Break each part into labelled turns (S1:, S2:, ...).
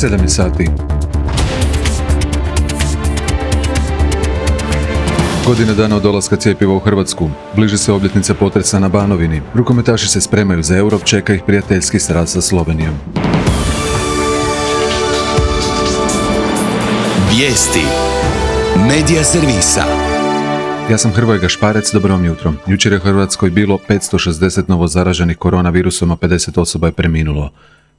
S1: 7 je sati. Godina dana od dolaska cjepiva u Hrvatsku. Bliži se obljetnica potresa na Banovini. Rukometaši se spremaju za Euro, čeka ih prijateljski sraz sa Slovenijom.
S2: Vijesti. Medija servisa.
S1: Ja sam Hrvoje Gašparec, dobro vam jutro. Jučer je u Hrvatskoj bilo 560 novo zaraženih koronavirusom, a 50 osoba je preminulo.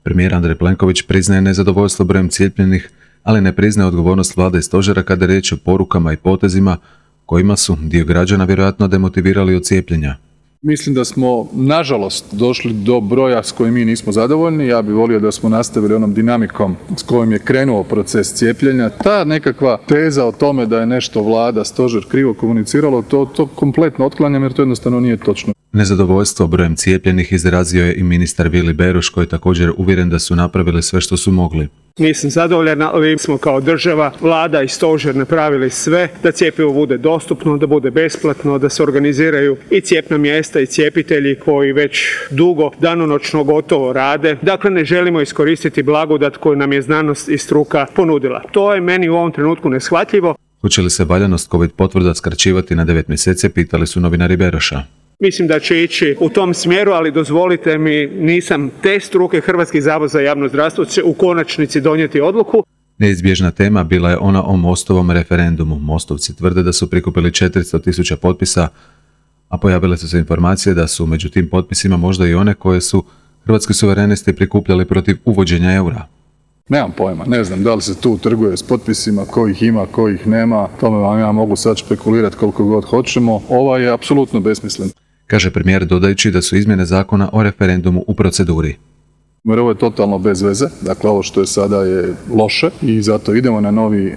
S1: Premijer Andrej Plenković priznaje nezadovoljstvo brojem cijepljenih, ali ne priznaje odgovornost vlade i stožera kada je riječ o porukama i potezima kojima su dio građana vjerojatno demotivirali od cijepljenja.
S3: Mislim da smo, nažalost, došli do broja s kojim mi nismo zadovoljni. Ja bih volio da smo nastavili onom dinamikom s kojim je krenuo proces cijepljenja. Ta nekakva teza o tome da je nešto vlada, stožer krivo komuniciralo, to kompletno otklanjam jer to jednostavno nije točno.
S1: Nezadovoljstvo brojem cijepljenih izrazio je i ministar Vili Beroš, koji je također uvjeren da su napravili sve što su mogli.
S4: Nisam zadovoljan, ali smo kao država, vlada i stožer napravili sve da cjepivo bude dostupno, da bude besplatno, da se organiziraju i cijepna mjesta i cijepitelji koji već dugo danonoćno gotovo rade. Dakle, ne želimo iskoristiti blagodat koju nam je znanost i struka ponudila. To je meni u ovom trenutku neshvatljivo.
S1: Hoće li se valjanost COVID potvrda skraćivati na 9 mjeseci, pitali su novinari Beroša.
S4: Mislim da će ići u tom smjeru, ali dozvolite mi, nisam te struke. Hrvatski zavod za javno zdravstvo će u konačnici donijeti odluku.
S1: Neizbježna tema bila je ona o Mostovom referendumu. Mostovci tvrde da su prikupili 400.000 potpisa, a pojavile su se informacije da su među tim potpisima možda i one koje su hrvatski suverenisti prikupljali protiv uvođenja eura.
S3: Nemam pojma, ne znam da li se tu trguje s potpisima, kojih ima, kojih nema. Tome vam ja mogu sad špekulirati koliko god hoćemo. Ova je apsolutno besmislen,
S1: kaže premijer dodajući da su izmjene zakona o referendumu u proceduri.
S3: Jer ovo je totalno bez veze, dakle ovo što je sada je loše i zato idemo na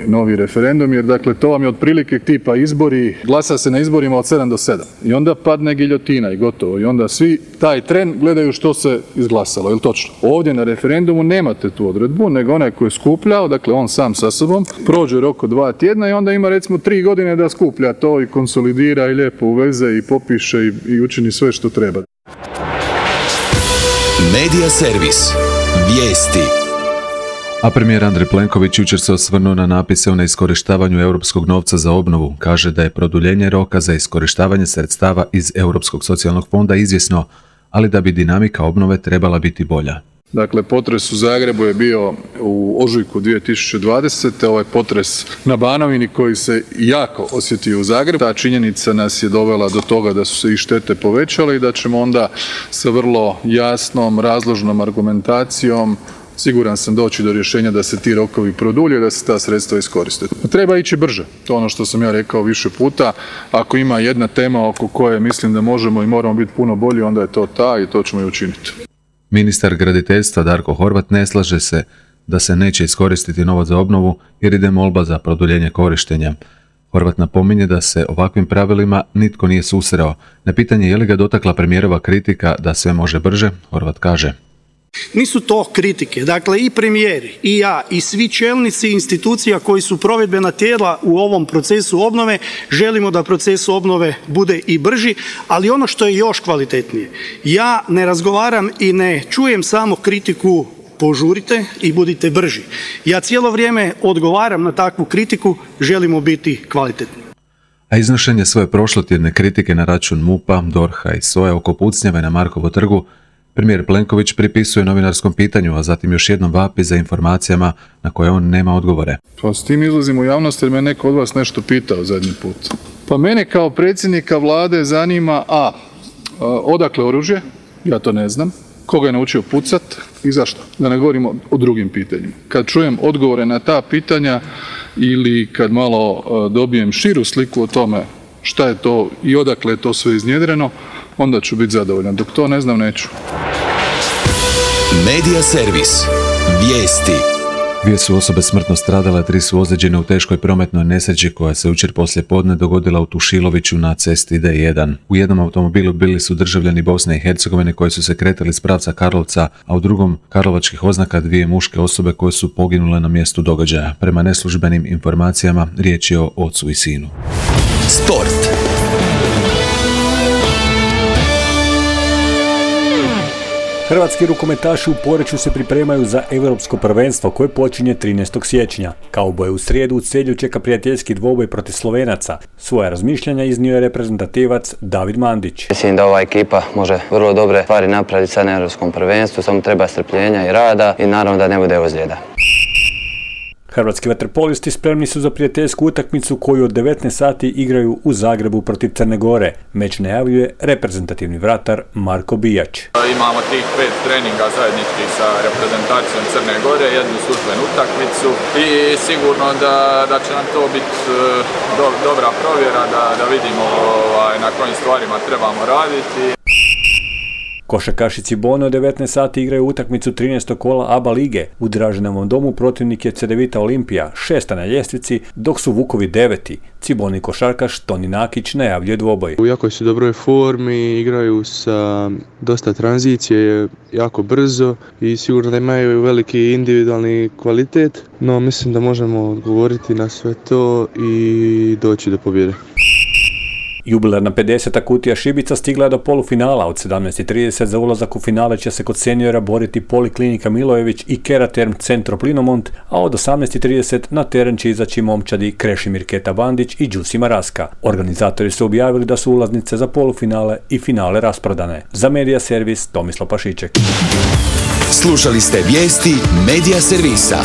S3: novi referendum, jer dakle to vam je otprilike tipa izbori, glasa se na izborima od 7 do 7 i onda padne giljotina i gotovo i onda svi taj tren gledaju što se izglasalo, je li točno? Ovdje na referendumu nemate tu odredbu, nego onaj koji je skupljao, dakle on sam sa sobom, prođe rok od 2 tjedna i onda ima recimo 3 godine da skuplja to i konsolidira i lijepo uveze i popiše i učini sve što treba.
S2: Medija servis. Vijesti.
S1: A premijer Andrej Plenković jučer se osvrnuo na napise o neiskorištavanju europskog novca za obnovu. Kaže da je produljenje roka za iskorištavanje sredstava iz Europskog socijalnog fonda izvjesno, ali da bi dinamika obnove trebala biti bolja.
S3: Dakle, potres u Zagrebu je bio u ožujku 2020. Ovaj potres na Banovini koji se jako osjetio u Zagrebu. Ta činjenica nas je dovela do toga da su se i štete povećale i da ćemo onda sa vrlo jasnom, razložnom argumentacijom, siguran sam, doći do rješenja da se ti rokovi produlje, da se ta sredstva iskoriste. Treba ići brže. To je ono što sam ja rekao više puta. Ako ima jedna tema oko koje mislim da možemo i moramo biti puno bolji, onda je to ta i to ćemo i učiniti.
S1: Ministar graditeljstva Darko Horvat ne slaže se da se neće iskoristiti novac za obnovu jer ide molba za produljenje korištenja. Horvat napominje da se ovakvim pravilima nitko nije susreo. Na pitanje je li ga dotakla premijerova kritika da sve može brže, Horvat kaže:
S5: nisu to kritike. Dakle, i premijeri, i ja, i svi čelnici institucija koji su provedbena tijela u ovom procesu obnove, želimo da proces obnove bude i brži, ali ono što je još kvalitetnije, ja ne razgovaram i ne čujem samo kritiku požurite i budite brži. Ja cijelo vrijeme odgovaram na takvu kritiku, želimo biti kvalitetni.
S1: A iznošenje svoje prošlotjedne kritike na račun MUP-a, DORH-a i SOA oko pucnjave na Markovu trgu premijer Plenković pripisuje novinarskom pitanju, a zatim još jednom vapi za informacijama na koje on nema odgovore.
S3: Pa s tim izlazim u javnost jer me neko od vas nešto pitao zadnji put. Pa mene kao predsjednika vlade zanima odakle oružje, ja to ne znam, koga je naučio pucat i zašto, da ne govorimo o drugim pitanjima. Kad čujem odgovore na ta pitanja ili kad malo dobijem širu sliku o tome šta je to i odakle je to sve iznjedreno, onda ću biti zadovoljan. Dok to ne znam, neću.
S2: Medija servis. Vijesti.
S1: 2 su osobe smrtno stradale, 3 su ozlijeđene u teškoj prometnoj nesreći koja se jučer poslije podne dogodila u Tušiloviću na cesti D1. U jednom automobilu bili su državljani Bosne i Hercegovine koji su se kretali s pravca Karlovca, a u drugom karlovačkih oznaka 2 muške osobe koje su poginule na mjestu događaja. Prema neslužbenim informacijama riječ je o ocu i sinu.
S2: Sport.
S6: Hrvatski rukometaši u Poreču se pripremaju za europsko prvenstvo koje počinje 13. siječnja. Kauboje u srijedu u Celju čeka prijateljski dvoboj protiv Slovenaca. Svoja razmišljanja iznio je reprezentativac David Mandić.
S7: Mislim da ova ekipa može vrlo dobre stvari napraviti sad na europskom prvenstvu, samo treba strpljenja i rada i naravno da ne bude ozljeda.
S6: Hrvatski vaterpolisti spremni su za prijateljsku utakmicu koju od 19 sati igraju u Zagrebu protiv Crne Gore. Meč najavljuje reprezentativni vratar Marko Bijač.
S8: Imamo tih 5 treninga zajedničkih sa reprezentacijom Crne Gore, jednu službenu utakmicu i sigurno da će nam to biti dobra provjera da vidimo na kojim stvarima trebamo raditi.
S6: Košarkaši Cibone od 19 sati igraju utakmicu 13. kola ABA lige. U Draženovom domu protivnik je Cedevita Olimpija, 6. na ljestvici, dok su Vukovi 9. Ciboni košarkaš Toni Nakić najavljuje dvoboj.
S9: U jako su dobroj formi, igraju sa dosta tranzicije, jako brzo i sigurno da imaju veliki individualni kvalitet, no mislim da možemo odgovoriti na sve to i doći do pobjede.
S6: Jubilarna 50. kutija šibica stigla je do polufinala. Od 17:30 za ulazak u finale će se kod seniora boriti Poliklinika Milojević i Keraterm Centro Plinomont, a od 18:30 na teren će izaći momčadi Krešimir Keta Bandić i Đusima Raska. Organizatori su objavili da su ulaznice za polufinale i finale rasprodane. Za Medija Servis Tomislav Pašiček.
S2: Slušali ste vijesti Medija Servisa.